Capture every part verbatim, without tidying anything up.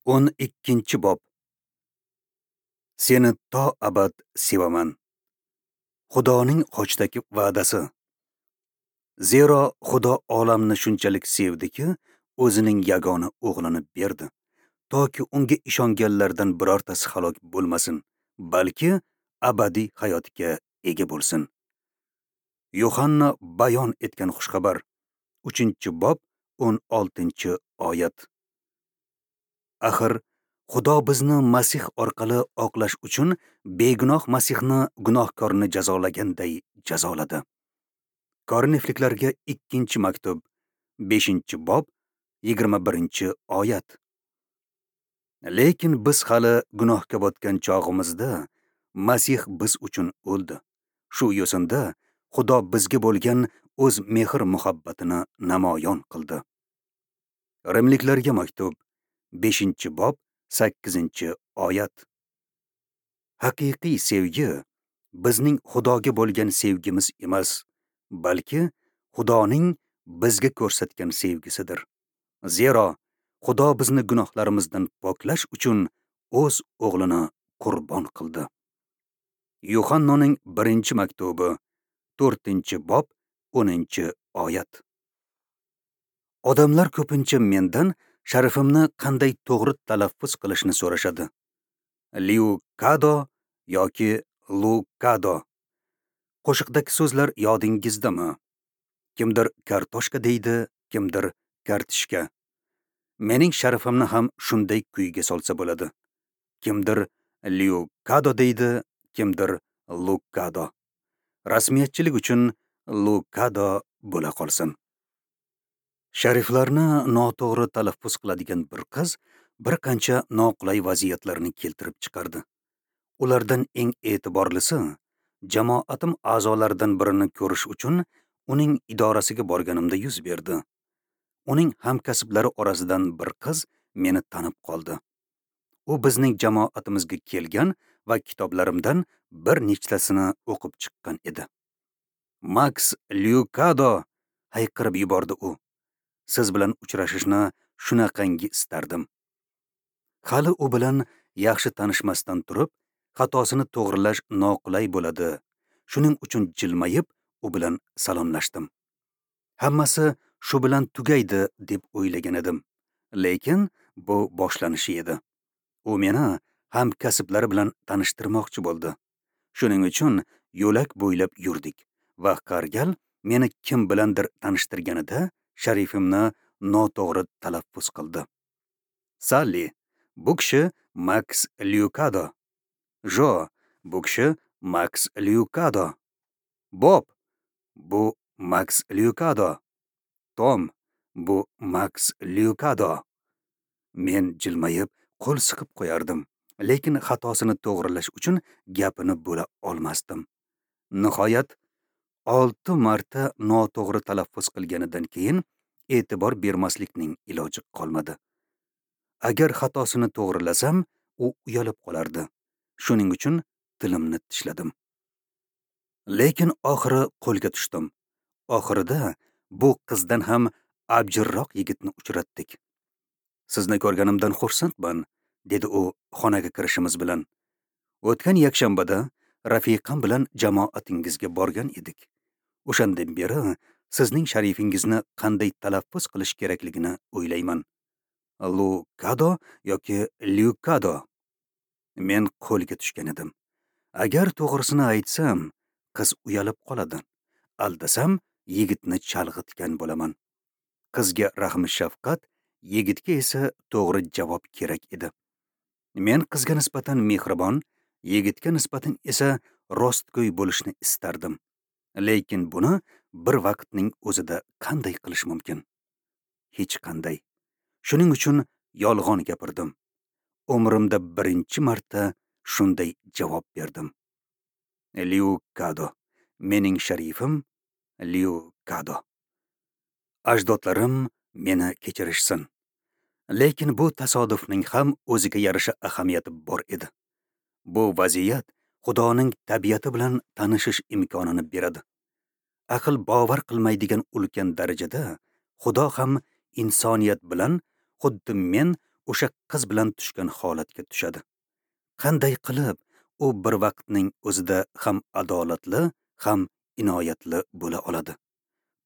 O'n ikkinchi bob. Seni to abad sevaman. Xudoning xochdagi va'dasi. Zero Xudo olamni shunchalik sevdiki, o'zining yagona o'g'lini berdi, toki unga ishonganlardan birortasi halok bo'lmasin, balki abadiy hayotga ega bo'lsin. Yohanna bayon etgan xushxabar, uchinchi bob, o'n oltinchi oyat. Axir Xudo bizni Masih orqali oqlash uchun begunoh Masihni gunohkorni jazolaganday jazoladi. Korinfliklarga ikkinchi maktub, beshinchi bob, yigirma birinchi oyat. Lekin biz hali gunohga botgan chog'imizda Masih biz uchun o'ldi. Shu yo'sinda Xudo bizga bo'lgan o'z mehr-muhabbatini namoyon qildi. Rimliklarga maktub, beshinchi bob, sakkizinchi oyat. Haqiqiy sevgi bizning Xudoga bo'lgan sevgimiz emas, balki Xudoning bizga ko'rsatgan sevgisidir. Zero Xudo bizni gunohlarimizdan poklash uchun o'z o'g'lini qurbon qildi. Yuhannoning birinchi maktubi, to'rtinchi bob, o'ninchi oyat. Odamlar ko'pincha mendan sharifimni qanday to'g'ri talaffuz qilishni so'rashadi. Liukado yoki Lukado. Qo'shiqdagi so'zlar yodingizdami? Kimdir kartoshka deydi, kimdir kartishka. Mening sharifimni ham shunday kuyga solsa bo'ladi. Kimdir Liukado deydi, kimdir Lukado. Rasmiyatchilik uchun Lukado bo'la qolsin. Shariflarni noto'g'ri talaffuz qiladigan bir qiz bir qancha noqulay vaziyatlarni keltirib chiqardi. Ulardan eng e'tiborlisi, jamoatim a'zolaridan birini ko'rish uchun uning idorasiga borganimda yuz berdi. Uning hamkasblari orasidan bir qiz meni tanib qoldi. U bizning jamoatimizga kelgan va kitoblarimdan bir nechtasini o'qib chiqqan edi. "Max Liukado!" hayqirib yubordi u. "Siz bilan uchrashishni shunaqangi istardim." Hali u bilan yaxshi tanishmasdan turib, xatosini to'g'rilash noqulay bo'ladi. Shuning uchun jilmayib, u bilan salomlashdim. Hammasi shu bilan tugaydi deb o'ylagan edim. Lekin bu boshlanishi edi. U meni hamkasblari bilan tanishtirmoqchi bo'ldi. Shuning uchun yo'lak bo'ylab yurdik va qargal meni kim bilandir tanishtirganida sharifimni noto'g'ri talaffuz qildi. "Salli, bu kishi Max Liukado. Jo, bu kishi Max Liukado. Bob, bu Max Liukado. Tom, bu Max Liukado." Men jilmayib qo'l siqib qo'yardim, lekin xatosini to'g'rilash uchun gapini bo'la olmasdim. Nihoyat olti marta noto'g'ri talaffuz qilganidan keyin e'tibor bermaslikning iloji qolmadi. Agar xatosini to'g'rilasam, u uyalib qolardi. Shuning uchun tilimni tishladim. Lekin oxiri qo'lga tushdim. Oxirida bu qizdan ham abjirroq yigitni uchratdik. "Sizni ko'rganimdan xursandman", dedi u xonaga kirishimiz bilan. "O'tgan yakshanbada rafiqam bilan jamoatingizga borgan edik. O'shandan beri sizning sharifingizni qanday talaffuz qilish kerakligini o'ylayman. Lukado yoki Liukado." Men qo'lga tushgan edim. Agar to'g'risini aytsam, qiz uyalib qoladi. Aldasam, yigitni chalg'itgan bo'laman. Qizga rahmi shafqat, yigitga esa to'g'ri javob kerak edi. Men qizga nisbatan mehribon, yigitga nisbatan esa rostgo'y bo'lishni istardim. Lekin buni bir vaqtning o'zida qanday qilish mumkin? Hech qanday. Shuning uchun yolg'on gapirdim. Umrimda birinchi marta shunday javob berdim. Liukado. Mening sharifim Liukado. Ajdodlarim meni kechirishsin. Lekin bu tasodifning ham o'ziga yarasha ahamiyati bor edi. Bu vaziyat Xudoning tabiati bilan tanishish imkonini beradi. Aql bovar qilmaydigan ulkan darajada Xudo ham insoniyat bilan xuddi men o'sha qiz bilan tushgan holatga tushadi. Qanday qilib u bir vaqtning o'zida ham adolatli, ham inoyatli bo'la oladi?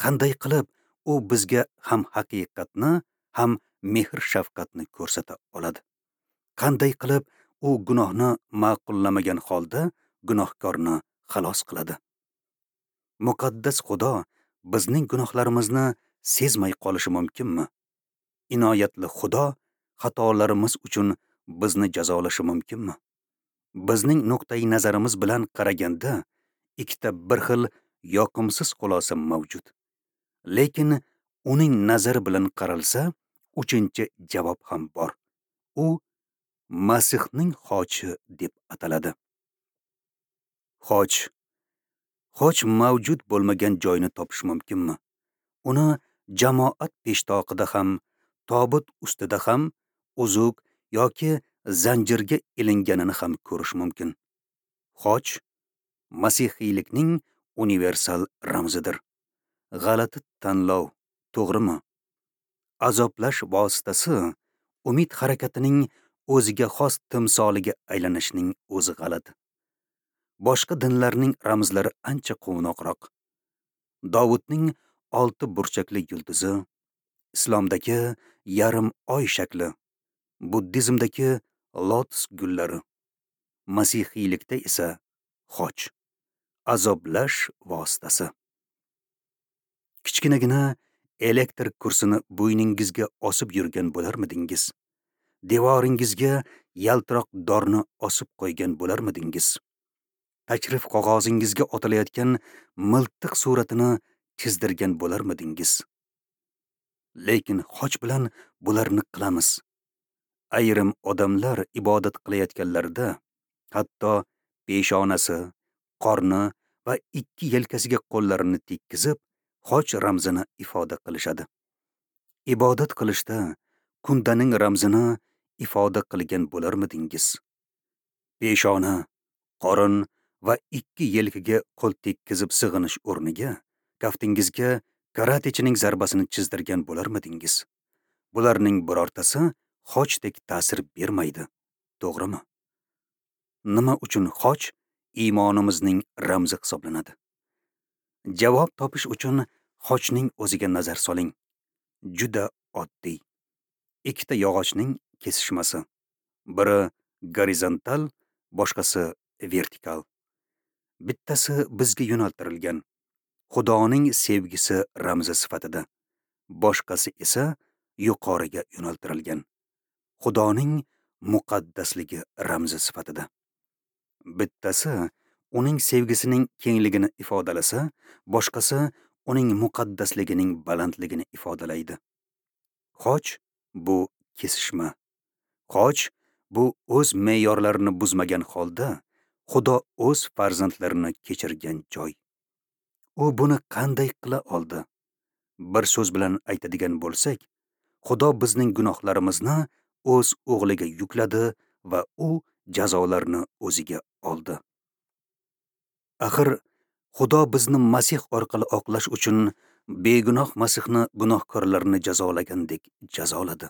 Qanday qilib u bizga ham haqiqatni, ham mehr-shafqatni ko'rsata oladi? Qanday qilib u gunohni ma'qullamagan holda gunohkorni xalos qiladi? Muqaddas Xudo bizning gunohlarimizni sezmay qolishi mumkinmi? Inoyatli Xudo xatolarimiz uchun bizni jazolashi mumkinmi? Bizning nuqtai nazarimiz bilan qaraganda ikkita bir xil yoqimsiz xulosa mavjud. Lekin uning nazari bilan qaralsa, uchinchi javob ham bor. U Masihning xochi deb ataladi. Xoch. Xoch mavjud bo'lmagan joyni topish mumkinmi? Uni jamoat peshtoqida ham, tobut ustida ham, uzuk yoki zanjirga ilinganini ham ko'rish mumkin. Xoch masihiylikning universal ramzidir. G'alati tanlov, to'g'rimi? Azoblash vositasi umid harakatining o'ziga xos timsoliga aylanishining o'zi g'alati. Boshqa dinlarning ramzlari ancha quvnoqroq. Dovudning olti burchakli yulduzi, islomdagi yarim oy shakli, buddizmdagi lotus gullari, masihiylikda esa xoch, azoblash vositasi. Kichkinagina elektr kursini bo'yningizga osib yurgan bo'larmidingiz? Devoringizga yaltiroq dorni osib qo'ygan bo'larmidingiz? Tashrif qog'ozingizga otilayotgan miltiq suratini chizdirgan bo'larmidingiz? Lekin xoch bilan bularni qilamiz. Ayrim odamlar ibodat qilayotganlarida hatto peshonasi, qorni va ikki yelkasiga qo'llarini tekkizib, xoch ramzini ifoda qilishadi. Ibodat qilishda kundaning ramzini ifoda qilgan bo'larmidingiz? Peshona, qorin va ikki yelkaga qo'l tekkizib sig'inish o'rniga kaftingizga karatechining zarbasini chizdirgan bo'larmidingiz? Bularning birortasi xochdek ta'sir bermaydi, to'g'rimi? Nima uchun xoch iymonimizning ramzi hisoblanadi? Javob topish uchun xochning o'ziga nazar soling. Juda oddiy. Ikkita yog'ochning kesishmasi. Biri gorizontal, boshqasi vertikal. Bittasi bizga yo'naltirilgan, Xudoning sevgisi ramzi sifatida. Boshqasi esa yuqoriga yo'naltirilgan, Xudoning muqaddasligi ramzi sifatida. Bittasi uning sevgisining kengligini ifodalasa, boshqasi uning muqaddasligining balandligini ifodalaydi. Xoch bu kesishma. Xoch bu o'z me'yorlarini buzmagan holda Xudo o'z farzandlarini kechirgan joy. U buni qanday qila oldi? Bir so'z bilan aytadigan bo'lsak, Xudo bizning gunohlarimizni o'z o'g'liga yukladi va u jazolarni o'ziga oldi. Axir Xudo bizni Masih orqali oqlash uchun begunoh Masihni gunohkorlarni jazolagandek jazoladi.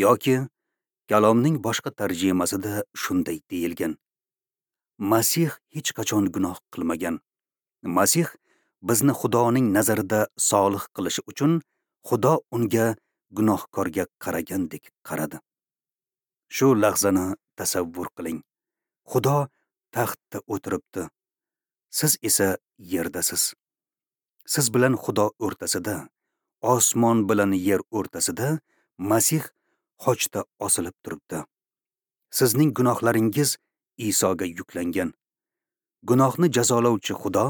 Yoki kalomning boshqa tarjimasida shunday deyilgan: Masih hech qachon gunoh qilmagan. Masih bizni Xudoning nazarida solih qilishi uchun Xudo unga gunohkorga qaragandek qaradi. Shu lahzani tasavvur qiling. Xudo taxtda o'tiribdi. Siz esa yerdasiz. Siz bilan Xudo o'rtasida, osmon bilan yer o'rtasida Masih xochda osilib turibdi. Sizning gunohlaringiz Isoga yuklangan. Gunohni jazolovchi Xudo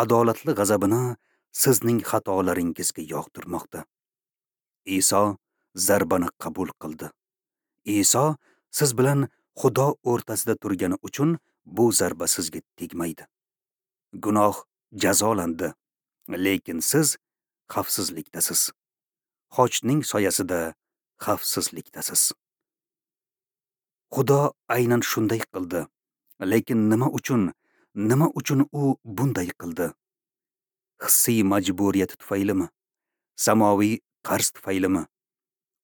adolatli g'azabini sizning xatolaringizga yog'dirmoqda. Iso zarbani qabul qildi. Iso siz bilan Xudo o'rtasida turgani uchun bu zarba sizga tegmaydi. Gunoh jazolandi, lekin siz xavfsizlikdasiz. Xochning soyasida xavfsizlikdasiz. Xudo aynan shunday qildi. Lekin nima uchun, nima uchun u bunday qildi? Hissiy majburiyati tufaylimi? Samoviy qarz tufaylimi?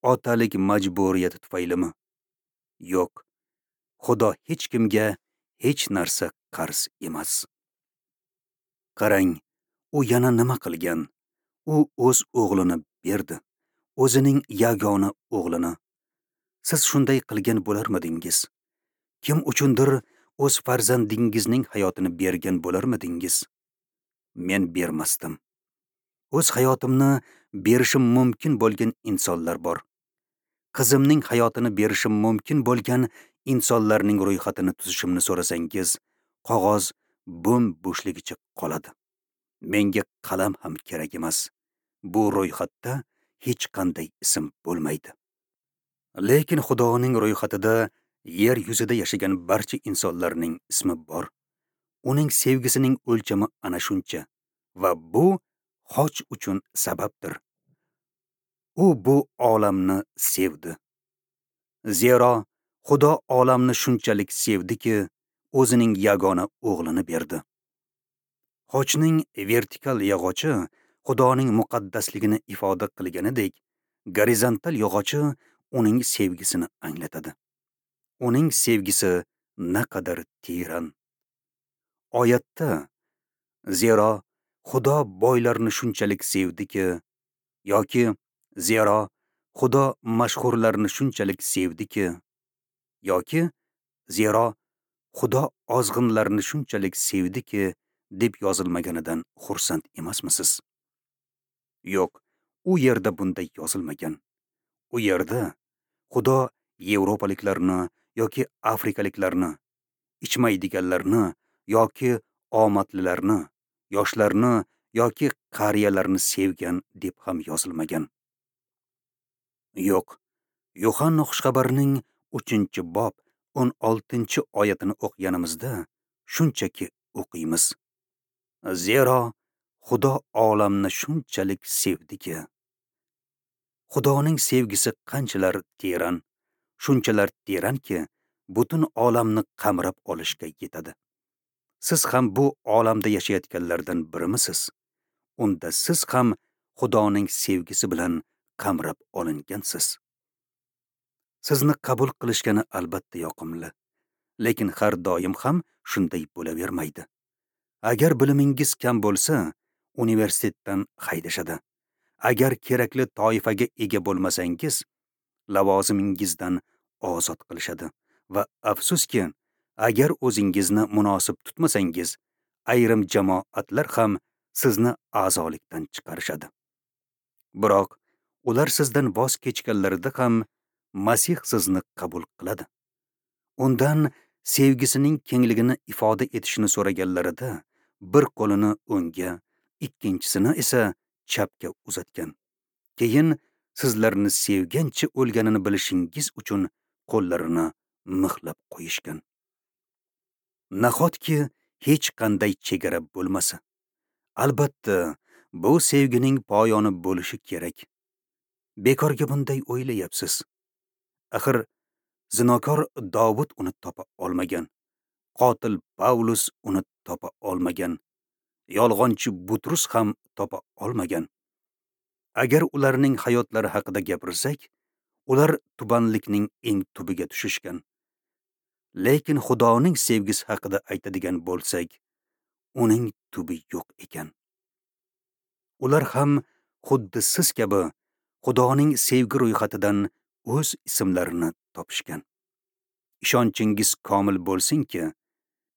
Otalik majburiyati tufaylimi? Yo'q. Xudo hech kimga hech narsa qarz emas. Qarang, u yana nima qilgan? U o'z o'g'lini berdi. O'zining yagona o'g'lini. Siz shunday qilgan bo'larmidingiz? Kim uchundir o'z farzandingizning hayotini bergan bo'larmidingiz? Men bermasdim. O'z hayotimni berishim mumkin bo'lgan insonlar bor. Qizimning hayotini berishim mumkin bo'lgan insonlarning ro'yxatini tuzishimni so'rasangiz, qog'oz bo'm-bo'shligicha qoladi. Menga qalam ham kerak emas. Bu ro'yxatda hech qanday ism bo'lmaydi. Lekin Xudoning ro'yxatida yer yuzida yashagan barcha insonlarning ismi bor. Uning sevgisining o'lchami ana shuncha va bu xoch uchun sababdir. U bu olamni sevdi. Zero Xudo olamni shunchalik sevdiki, o'zining yagona o'g'lini berdi. Xochning vertikal yog'ochi Xudoning muqaddasligini ifoda qilganidek, gorizontal yog'ochi uning sevgisini anglatadi. Uning sevgisi naqadar teran. Oyatda zero Xudo boylarni shunchalik sevdiki yoki zero Xudo mashhurlarni shunchalik sevdiki yoki zero Xudo ozg'inlarni shunchalik sevdiki deb yozilmaganidan xursand emasmisiz? Yo'q, u yerda bunday yozilmagan. U yerda Xudo yevropaliklarni yoki afrikaliklarni, ichmaydiganlarni yoki omadlilarni, yoshlarni yoki qariyalarni sevgan deb ham yozilmagan. Yo'q, Yuhanna xushxabarining uchinchi bob o'n oltinchi oyatini o'qiganimizda shunchaki o'qiymiz. Zero Xudo olamni shunchalik sevdiki. Xudoning sevgisi qanchalar teran, shunchalar teranki, butun olamni qamrab olishga yetadi. Siz ham bu olamda yashayotganlardan birimisiz? Unda siz ham Xudoning sevgisi bilan qamrab olingansiz. Sizni qabul qilishgani albatta yoqimli, lekin har doim ham shunday bo'lavermaydi. Agar bilimingiz kam bo'lsa, universitetdan haydashadi. Agar kerakli toifaga ega bo'lmasangiz, lavozimingizdan ozod qilishadi va afsuski, agar o'zingizni munosib tutmasangiz, ayrim jamoatlar ham sizni a'zolikdan chiqarishadi. Biroq ular sizdan voz kechganlarida ham Masih sizni qabul qiladi. Undan sevgisining kengligini ifoda etishini so'raganlarida bir qo'lini o'ngga, ikkinchisini esa chapga uzatgan. Keyin sizlarni sevgancha o'lganini bilishingiz uchun qo'llarini mixlab qo'yishgan. Nahotki hech qanday chegara bo'lmasa? Albatta, bu sevgining poyoni bo'lishi kerak. Bekorga bunday o'ylayapsiz. Axir zinokor Dovud uni topa olmagan, qotil Pavlus uni topa olmagan, yolg'onchi Butrus ham topa olmagan. Agar ularning hayotlari haqida gapirsak, ular tubanlikning eng tubiga tushishgan. Lekin Xudoning sevgisi haqida aytadigan bo'lsak, uning tubi yo'q ekan. Ular ham xuddi siz kabi Xudoning sevgi ro'yxatidan o'z ismlarini topishgan. Ishonchingiz komil bo'lsinki,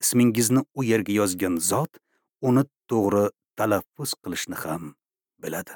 ismingizni u yerga yozgan zot uni to'g'ri talaffuz qilishni ham biladi.